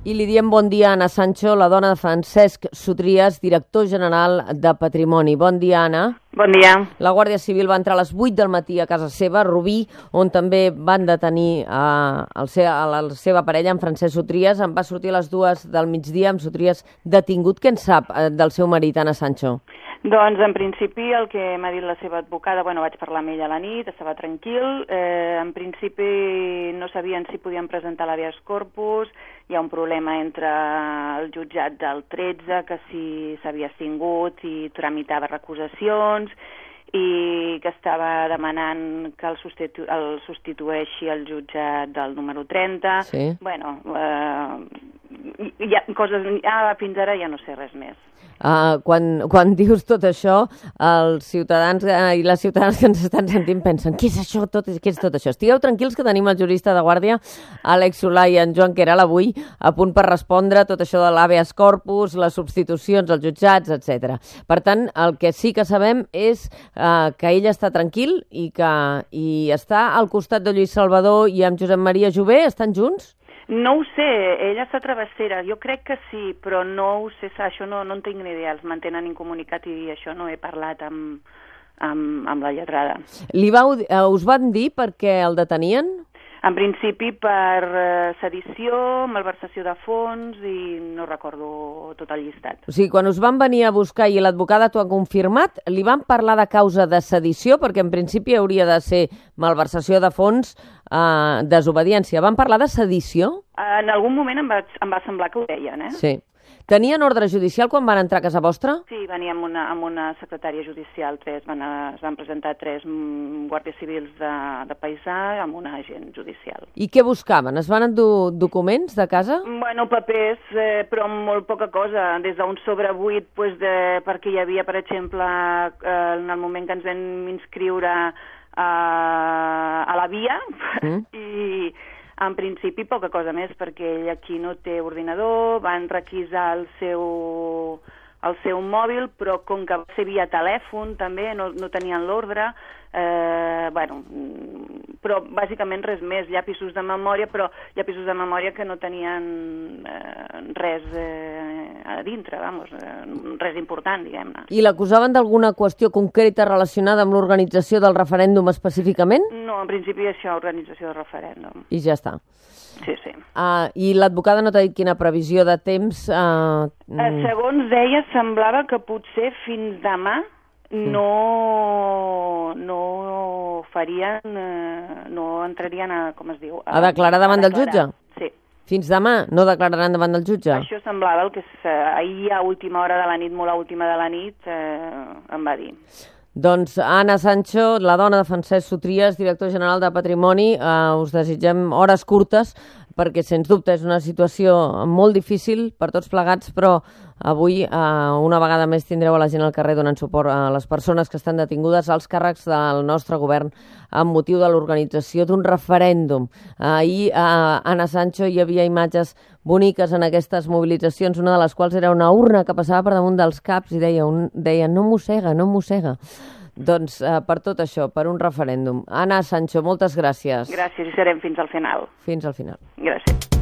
I li diem bon dia a Anna Sancho, la dona de Francesc Sotries, director general de Patrimoni. Bon dia, Anna. Bon dia. La Guàrdia Civil va entrar a les 8 del matí a casa seva, a Rubí, on també van detenir a la seva parella, en Francesc Sotries. En va sortir a les 2 del migdia amb Sotries detingut. Què en sap del seu marit, Anna Sancho? Doncs, en principi, el que m'ha dit la seva advocada, vaig parlar amb ella a la nit, estava tranquil. En principi, no sabien si podien presentar l'habeas corpus. Hi ha un problema entre el jutjat del 13, que si s'havia extingut i tramitava recusacions, i que estava demanant que el substitueixi el jutjat del número 30. Sí. Bueno, fins ara ja no sé res més. Quan dius tot això, els ciutadans i les ciutadanes que ens estan sentint pensen què és això, què és tot això? Estigueu tranquils que tenim el jurista de guàrdia, Àlex Solà, i en Joan Queralt avui a punt per respondre tot això de l'habeas corpus, les substitucions als jutjats, etc. Per tant, el que sí que sabem és que ell està tranquil i està al costat de Lluís Salvador i amb Josep Maria Jové. Estan junts? No ho sé, ella està travessera, jo crec que sí, però no ho sé, això no en tinc ni idea, els mantenen incomunicat i això no he parlat amb la lletrada. Us van dir per què el detenien? En principi per sedició, malversació de fons i no recordo tot el llistat. O sigui, quan us van venir a buscar i l'advocada t'ho ha confirmat, li van parlar de causa de sedició, perquè en principi hauria de ser malversació de fons, desobediència. Van parlar de sedició? En algun moment em va semblar que ho deien, Sí. Tenien ordre judicial quan van entrar a casa vostra? Sí, venia amb una secretària judicial, es van presentar 3 guàrdies civils de paisà amb un agent judicial. I què buscaven? Es van endur documents de casa? Bueno, papers, però molt poca cosa, des d'un sobrebuit, perquè hi havia, per exemple, en el moment que ens vam inscriure a la via, i en principi poca cosa més, perquè ell aquí no té ordinador, van requisar el seu mòbil, però com que va ser via telèfon també, no tenien l'ordre, però bàsicament res més, llapisos de memòria, però llapisos de memòria que no tenien res a dintre, res important, diguem-ne. I l'acusaven d'alguna qüestió concreta relacionada amb l'organització del referèndum específicament? No, en principi això, organització del referèndum. I ja està. Sí, sí. I l'advocada no t'ha dit quina previsió de temps? Segons ella, semblava que potser fins demà no entrarien a declarar davant del jutge? Sí. Fins demà no declararan davant del jutge? Això semblava el que ahir a última hora de la nit, molt a última de la nit, em va dir. Doncs Anna Sancho, la dona de Francesc Sotries, director general de Patrimoni, us desitgem hores curtes, perquè sens dubte és una situació molt difícil per tots plegats, però avui una vegada més tindreu a la gent al carrer donant suport a les persones que estan detingudes als càrrecs del nostre govern amb motiu de l'organització d'un referèndum. Ahir a Anna Sancho hi havia imatges boniques en aquestes mobilitzacions, una de les quals era una urna que passava per damunt dels caps i deia no mossega, no mossega. Doncs per tot això, per un referèndum. Anna Sancho, moltes gràcies. Gràcies, i serem fins al final. Fins al final. Gràcies.